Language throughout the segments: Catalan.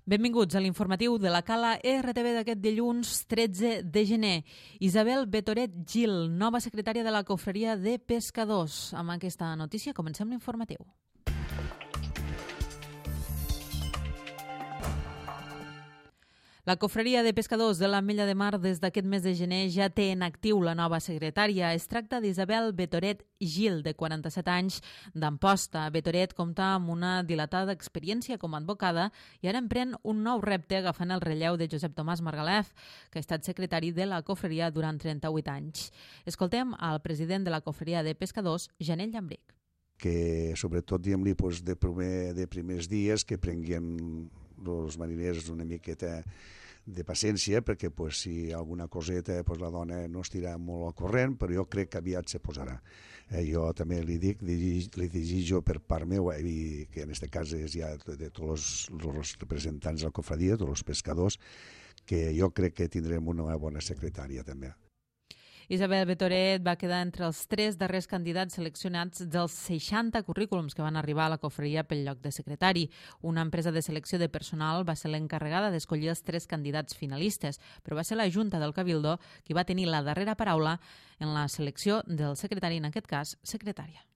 Benvinguts a l'informatiu de la Cala RTV d'aquest dilluns 13 de gener. Isabel Betoret Gil, nova secretària de la Cofreria de Pescadors. Amb aquesta notícia comencem l'informatiu. La Cofreria de Pescadors de l'Ametlla de Mar des d'aquest mes de gener ja té en actiu la nova secretària. Es tracta d'Isabel Betoret Gil, de 47 anys, d'Amposta. Betoret compta amb una dilatada experiència com a advocada i ara emprèn un nou repte agafant el relleu de Josep Tomàs Margalef, que ha estat secretari de la Cofreria durant 38 anys. Escoltem al president de la Cofreria de Pescadors, Janell Llambric. Que sobretot, diguem-li, de primers dies que prenguin els mariners una miqueta de paciència, perquè si alguna coseta la dona no estirà molt al corrent, però jo crec que aviat se posarà. Jo també li dic, li desitjo per part meva, i que en aquest cas és ja de tots els representants de la cofradia, tots els pescadors, que jo crec que tindrem una bona secretària també. Isabel Betoret va quedar entre els 3 darrers candidats seleccionats dels 60 currículums que van arribar a la cofreria pel lloc de secretari. Una empresa de selecció de personal va ser l'encarregada d'escollir els 3 candidats finalistes, però va ser la Junta del Cabildo qui va tenir la darrera paraula en la selecció del secretari, en aquest cas, secretària.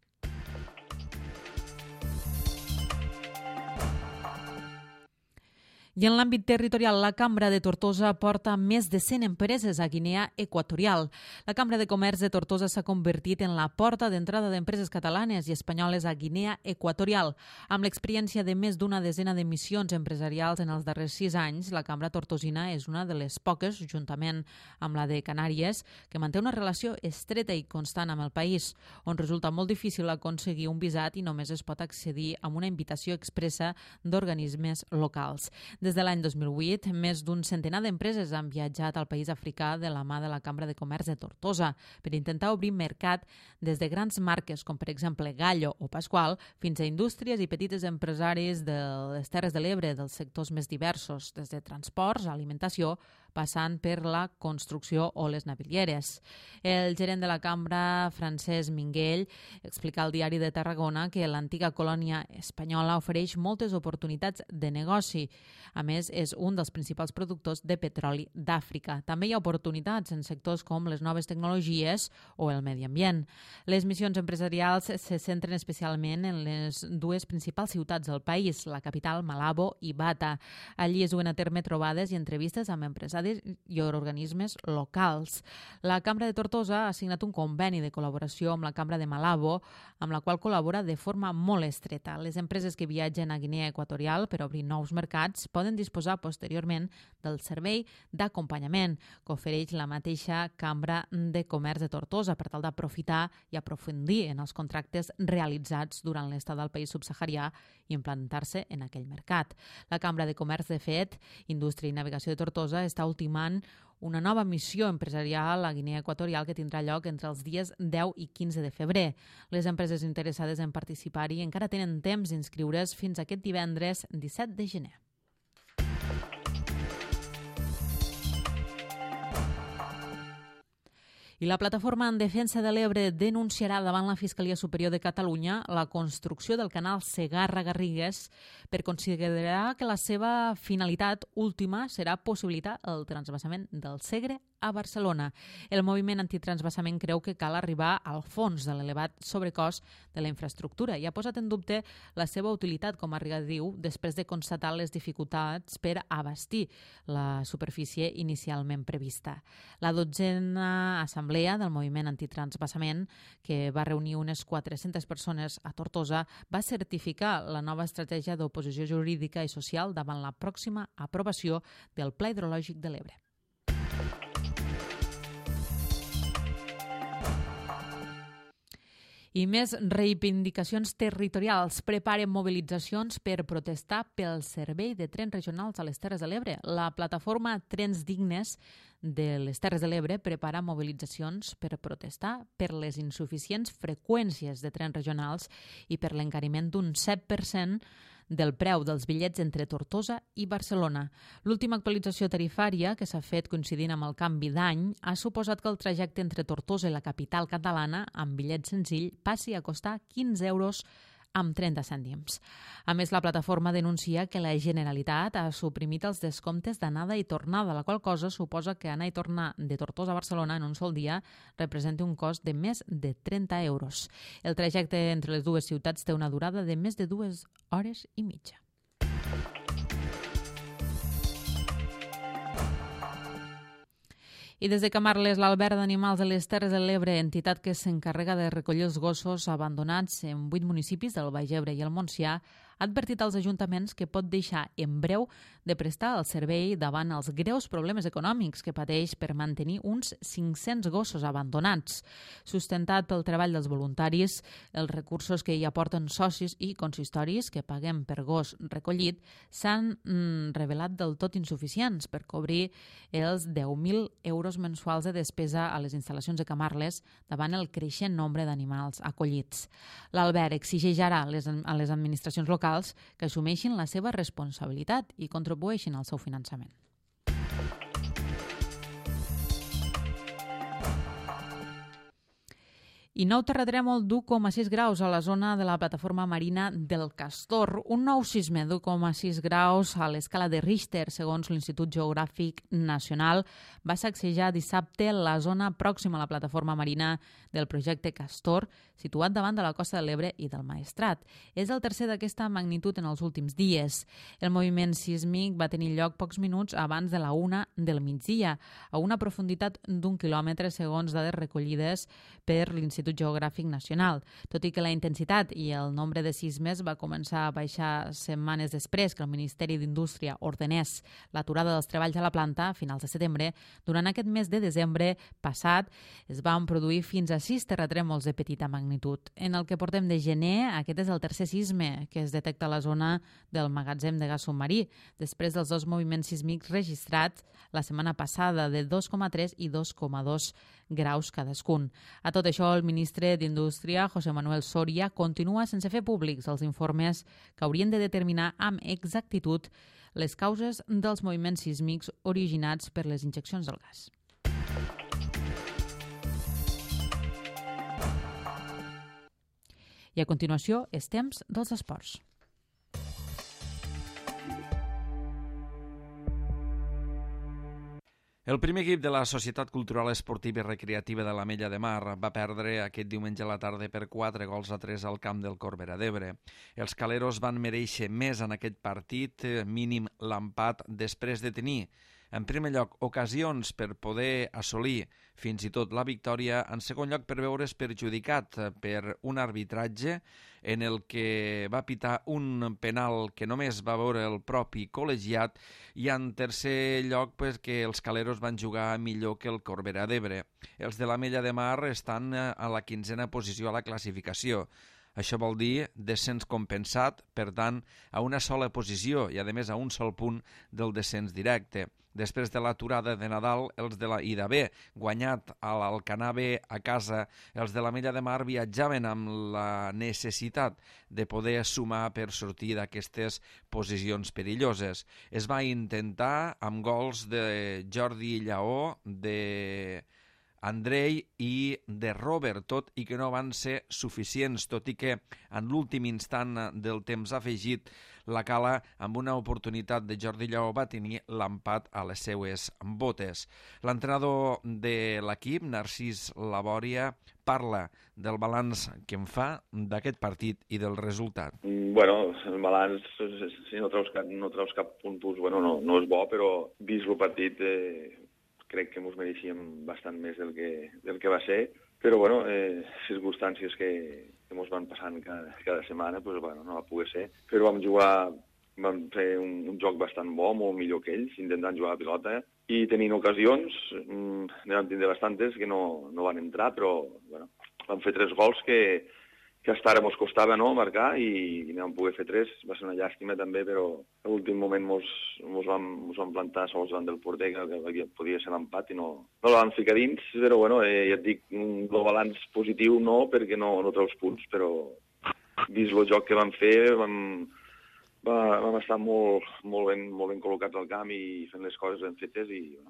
I en l'àmbit territorial, la Cambra de Tortosa porta més de 100 empreses a Guinea Equatorial. La Cambra de Comerç de Tortosa s'ha convertit en la porta d'entrada d'empreses catalanes i espanyoles a Guinea Equatorial. Amb l'experiència de més d'una desena de missions empresarials en els darrers 6 anys, la Cambra tortosina és una de les poques, juntament amb la de Canàries, que manté una relació estreta i constant amb el país, on resulta molt difícil aconseguir un visat i només es pot accedir amb una invitació expressa d'organismes locals. Des de l'any 2008, més d'un centenar d'empreses han viatjat al país africà de la mà de la Cambra de Comerç de Tortosa per intentar obrir mercat des de grans marques com, per exemple, Gallo o Pasqual, fins a indústries i petites empresaris de les Terres de l'Ebre, dels sectors més diversos, des de transports, alimentació, passant per la construcció o les navilieres. El gerent de la Cambra, Francesc Minguell, explica al Diari de Tarragona que l'antiga colònia espanyola ofereix moltes oportunitats de negoci. A més, és un dels principals productors de petroli d'Àfrica. També hi ha oportunitats en sectors com les noves tecnologies o el medi ambient. Les missions empresarials se centren especialment en les 2 principals ciutats del país, la capital, Malabo, i Bata. Allí es duen a terme trobades i entrevistes amb empresaris i organismes locals. La Cambra de Tortosa ha signat un conveni de col·laboració amb la Cambra de Malabo, amb la qual col·labora de forma molt estreta. Les empreses que viatgen a Guinea Equatorial per obrir nous mercats poden disposar posteriorment del servei d'acompanyament que ofereix la mateixa Cambra de Comerç de Tortosa per tal d'aprofitar i aprofundir en els contractes realitzats durant l'estada al país subsaharià i implantar-se en aquell mercat. La Cambra de Comerç, de fet, Indústria i Navegació de Tortosa està ultimant una nova missió empresarial a Guinea Equatorial que tindrà lloc entre els dies 10 i 15 de febrer. Les empreses interessades en participar-hi encara tenen temps d'inscriure's fins aquest divendres 17 de gener. I la Plataforma en Defensa de l'Ebre denunciarà davant la Fiscalia Superior de Catalunya la construcció del canal Segarra-Garrigues per considerar que la seva finalitat última serà possibilitar el transvasament del Segre a Barcelona. El moviment antitransvasament creu que cal arribar al fons de l'elevat sobrecost de la infraestructura i ha posat en dubte la seva utilitat com a regadiu després de constatar les dificultats per abastir la superfície inicialment prevista. La 12a assemblea del moviment antitransvasament, que va reunir unes 400 persones a Tortosa, va certificar la nova estratègia d'oposició jurídica i social davant la pròxima aprovació del Pla Hidrològic de l'Ebre. I més reivindicacions territorials. Preparen mobilitzacions per protestar pel servei de trens regionals a les Terres de l'Ebre. La plataforma Trens Dignes de les Terres de l'Ebre prepara mobilitzacions per protestar per les insuficients freqüències de trens regionals i per l'encariment d'un 7% del preu dels bitllets entre Tortosa i Barcelona. L'última actualització tarifària, que s'ha fet coincidint amb el canvi d'any, ha suposat que el trajecte entre Tortosa i la capital catalana, amb bitllet senzill, passi a costar 15 euros amb 30 cèntims. A més, la plataforma denuncia que la Generalitat ha suprimit els descomptes d'anada i tornada, la qual cosa suposa que anar i tornar de Tortosa a Barcelona en un sol dia representa un cost de més de 30 euros. El trajecte entre les dues ciutats té una durada de més de 2 hores i mitja. I des de Camarles, l'Alberg d'Animals de les Terres de l'Ebre, entitat que s'encarrega de recollir els gossos abandonats en 8 municipis del Baix Ebre i el Montsià, ha advertit als ajuntaments que pot deixar en breu de prestar el servei davant els greus problemes econòmics que pateix per mantenir uns 500 gossos abandonats. Sustentat pel treball dels voluntaris, els recursos que hi aporten socis i consistoris que paguem per gos recollit s'han revelat del tot insuficients per cobrir els 10.000 euros mensuals de despesa a les instal·lacions de Camarles davant el creixent nombre d'animals acollits. L'Alberg exigeix ara a les administracions locals que assumeixin la seva responsabilitat i contribueixin al seu finançament. I nou terratrèmol d'1,6 graus a la zona de la plataforma marina del Castor. Un nou sisme d'1,6 graus a l'escala de Richter, segons l'Institut Geogràfic Nacional, va sacsejar dissabte la zona pròxima a la plataforma marina del projecte Castor, situat davant de la Costa de l'Ebre i del Maestrat. És el tercer d'aquesta magnitud en els últims dies. El moviment sísmic va tenir lloc pocs minuts abans de la 1 del migdia, a una profunditat d'1 quilòmetre, segons dades recollides per l'Institut Geogràfic Nacional. Tot i que la intensitat i el nombre de sismes va començar a baixar setmanes després que el Ministeri d'Indústria ordenés l'aturada dels treballs a la planta a finals de setembre, durant aquest mes de desembre passat es van produir fins a 6 terratrèmols de petita magnitud. En el que portem de gener, aquest és el tercer sisme que es detecta a la zona del magatzem de gas submarí, després dels dos moviments sísmics registrats la setmana passada de 2,3 i 2,2 graus cadascun. A tot això, el ministre d'Indústria, José Manuel Soria, continua sense fer públics els informes que haurien de determinar amb exactitud les causes dels moviments sísmics originats per les injeccions del gas. I a continuació, és temps dels esports. El primer equip de la Societat Cultural Esportiva i Recreativa de l'Ametlla de Mar va perdre aquest diumenge a la tarda per 4-3 al camp del Corbera d'Ebre. Els caleros van merèixer més en aquest partit, mínim l'empat, després de tenir, en primer lloc, ocasions per poder assolir fins i tot la victòria, en segon lloc per veure's perjudicat per un arbitratge en el que va pitar un penal que només va veure el propi col·legiat i en tercer lloc que els caleros van jugar millor que el Corbera d'Ebre. Els de l'Ametlla de Mar estan a la 15a posició a la classificació. Això vol dir descens compensat, per tant, a una sola posició i, a més, a un sol punt del descens directe. Després de l'aturada de Nadal i d'haver guanyat a l'Alcanar B a casa, els de l'Ametlla de Mar viatjaven amb la necessitat de poder sumar per sortir d'aquestes posicions perilloses. Es va intentar amb gols de Jordi Lleó, de Andrei i de Robert, tot i que no van ser suficients, tot i que en l'últim instant del temps afegit la Cala, amb una oportunitat de Jordi Lleó, va tenir l'empat a les seues botes. L'entrenador de l'equip, Narcís Labòria, parla del balanç que en fa d'aquest partit i del resultat. Bueno, el balanç, si no treus cap punt, no és bo, però vist el partit crec que ens mereixíem bastant més del que va ser, però circumstàncies que ens van passant cada setmana, no va poder ser. Però vam fer un joc bastant bo, molt millor que ells, intentant jugar a pilota, i tenint ocasions, ne vam tindre bastantes que no van entrar, però vam fer 3 gols que hasta ara ens costava marcar i no vam poder fer 3. Va ser una llàstima també, però a l'últim moment ens vam plantar sols davant del porter, que podia ser l'empat i no la vam ficar dins, però ja et dic, el balanç positiu no, perquè no treus punts, però vist el joc que vam fer, vam estar molt ben col·locats al camp i fent les coses ben fetes i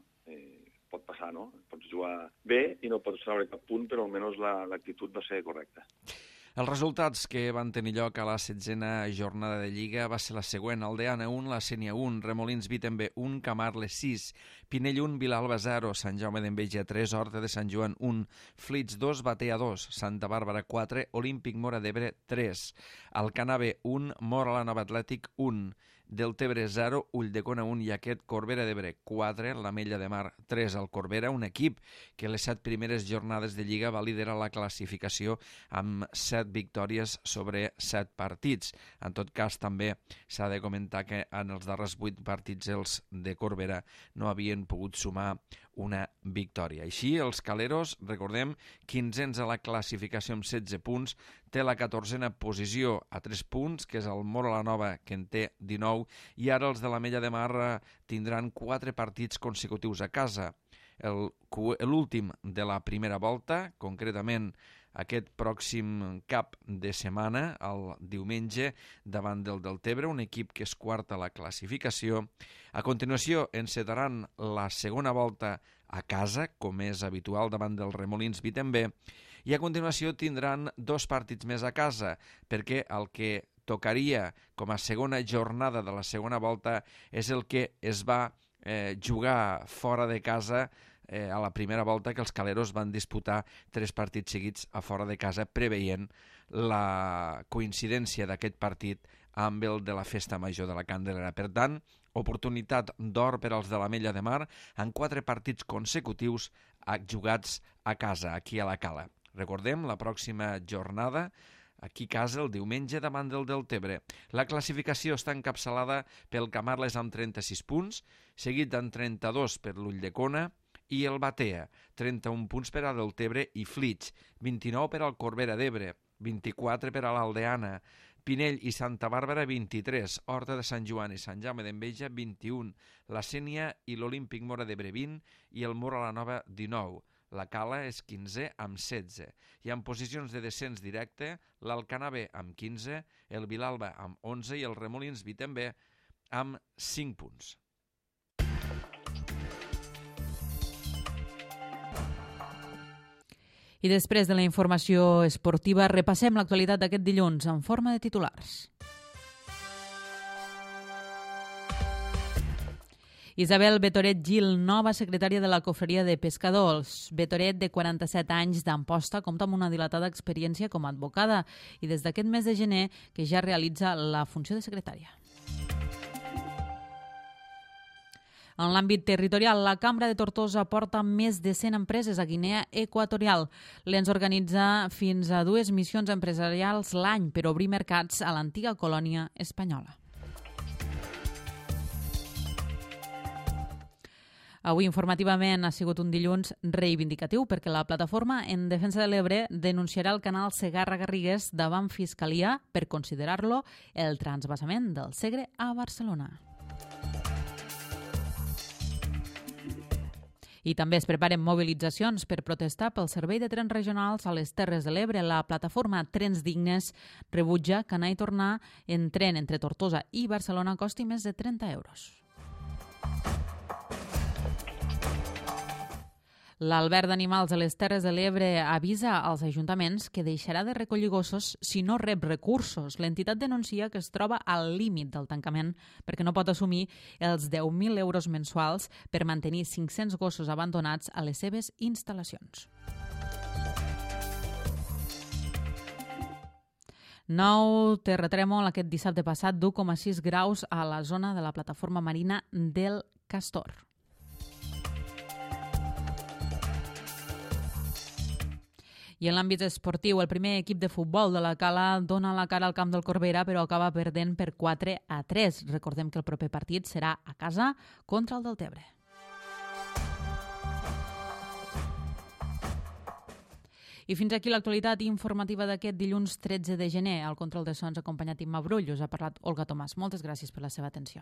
pot passar, no? Pots jugar bé i no pots treure cap punt, però almenys l'actitud va ser correcta. Els resultats que van tenir lloc a la 16a jornada de Lliga va ser la següent: Aldeana 1, la Sénia 1, Remolins Vitembe 1, Camarles 6, Pinell 1, Vilalba 0, Sant Jaume d'Enveja 3, Horta de Sant Joan 1, Flits 2, Batea 2, Santa Bàrbara 4, Olímpic Móra d'Ebre 3, Alcanar B 1, Móra la Nova Atlètic 1, Deltebre 0, Ulldecona 1 i aquest Corbera d'Ebre 4, l'Ametlla de Mar 3 al Corbera, un equip que les 7 primeres jornades de Lliga va liderar la classificació amb 7 victòries sobre 7 partits. En tot cas, també s'ha de comentar que en els darrers 8 partits els de Corbera no havien pogut sumar una victòria. Així, els caleros, recordem, 15ens a la classificació amb 16 punts, té la 14a posició a 3 punts, que és el Móra la Nova, que en té 19, i ara els de l'Ametlla de Mar tindran 4 partits consecutius a casa. L'últim de la primera volta, concretament aquest pròxim cap de setmana, el diumenge, davant del Deltebre, un equip que és quart a la classificació. A continuació, encetaran la segona volta a casa, com és habitual, davant del Remolins Vitembe, i a continuació tindran 2 partits més a casa, perquè el que tocaria com a segona jornada de la segona volta és el que es va jugar fora de casa a la primera volta, que els caleros van disputar 3 partits seguits a fora de casa, preveient la coincidència d'aquest partit amb el de la Festa Major de la Candelera. Per tant, oportunitat d'or per als de l'Ametlla de Mar en 4 partits consecutius jugats a casa, aquí a la Cala. Recordem, la pròxima jornada aquí a casa el diumenge davant del Deltebre. La classificació està encapçalada pel Camarles amb 36 punts, seguit amb 32 per l'Ulldecona i el Batea, 31 punts per a Deltebre i Flits, 29 per al Corbera d'Ebre, 24 per a l'Aldeana, Pinell i Santa Bàrbara 23, Horta de Sant Joan i Sant Jaume d'Enveja 21, la Sénia i l'Olímpic Móra d'Ebre 20 i el Móra la Nova 19. La Cala és 15 amb 16. I en posicions de descens directe, l'Alcanar B amb 15, el Vilalba amb 11 i el Remolins Vitembe amb 5 punts. I després de la informació esportiva, repassem l'actualitat d'aquest dilluns en forma de titulars. Isabel Betoret Gil, nova secretària de la Cofreria de Pescadors. Betoret, de 47 anys d'Amposta, compta amb una dilatada experiència com a advocada i des d'aquest mes de gener que ja realitza la funció de secretària. En l'àmbit territorial, la Cambra de Tortosa porta més de 100 empreses a Guinea Equatorial. L'ENS organitza fins a 2 missions empresarials l'any per obrir mercats a l'antiga colònia espanyola. Avui informativament ha sigut un dilluns reivindicatiu perquè la plataforma en defensa de l'Ebre denunciarà el canal Segarra-Garrigues davant Fiscalia per considerar-lo el transvasament del Segre a Barcelona. I també es preparen mobilitzacions per protestar pel servei de trens regionals a les Terres de l'Ebre. La plataforma Trens Dignes rebutja que anar i tornar en tren entre Tortosa i Barcelona costi més de 30 euros. L'Alberg d'Animals de les Terres de l'Ebre avisa als ajuntaments que deixarà de recollir gossos si no rep recursos. L'entitat denuncia que es troba al límit del tancament perquè no pot assumir els 10.000 euros mensuals per mantenir 500 gossos abandonats a les seves instal·lacions. Nou terratrèmol aquest dissabte passat d'1,6 graus a la zona de la plataforma marina del Castor. I en l'àmbit esportiu, el primer equip de futbol de la Cala dona la cara al camp del Corbera, però acaba perdent per 4-3. Recordem que el proper partit serà a casa contra el Deltebre. I fins aquí l'actualitat informativa d'aquest dilluns 13 de gener. Al control de sons acompanyat Imma Brull. Us ha parlat Olga Tomàs. Moltes gràcies per la seva atenció.